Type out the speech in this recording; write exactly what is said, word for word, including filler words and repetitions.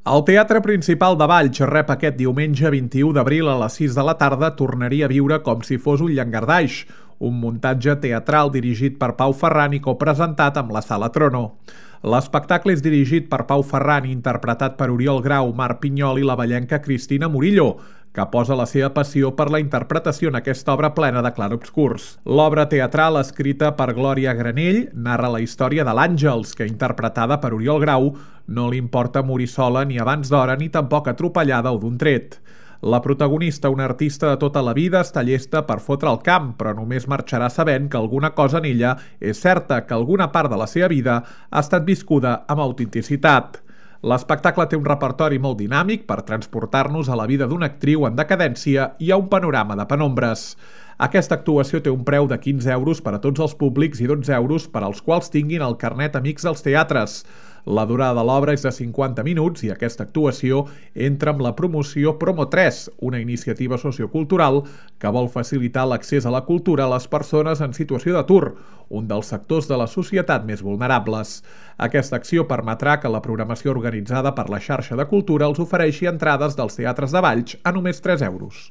El Teatre Principal de Valls rep aquest diumenge vint-i-u d'abril a les sis de la tarda Tornaria a viure com si fos un llangardaix, un muntatge teatral dirigit per Pau Ferran i copresentat amb la Sala Trono. L'espectacle és dirigit per Pau Ferran i interpretat per Oriol Grau, Marc Pinyol i la vallenca Cristina Murillo, que posa la seva passió per la interpretació en aquesta obra plena de clarobscurs. L'obra teatral, escrita per Glòria Granell, narra la història de l'Àngels, que, interpretada per Oriol Grau, no li importa morir sola ni abans d'hora ni tampoc atropellada o d'un tret. La protagonista, una artista de tota la vida, està llesta per fotre el camp, però només marxarà sabent que alguna cosa en ella és certa, que alguna part de la seva vida ha estat viscuda amb autenticitat. L'espectacle té un repertori molt dinàmic per transportar-nos a la vida d'una actriu en decadència i a un panorama de penombres. Aquesta actuació té un preu de quinze euros per a tots els públics i dotze euros per als quals tinguin el carnet Amics dels Teatres. La durada de l'obra és de cinquanta minuts i aquesta actuació entra amb la promoció Promo tres, una iniciativa sociocultural que vol facilitar l'accés a la cultura a les persones en situació d'atur, un dels sectors de la societat més vulnerables. Aquesta acció permetrà que la programació organitzada per la xarxa de cultura els ofereixi entrades dels teatres de Valls a només tres euros.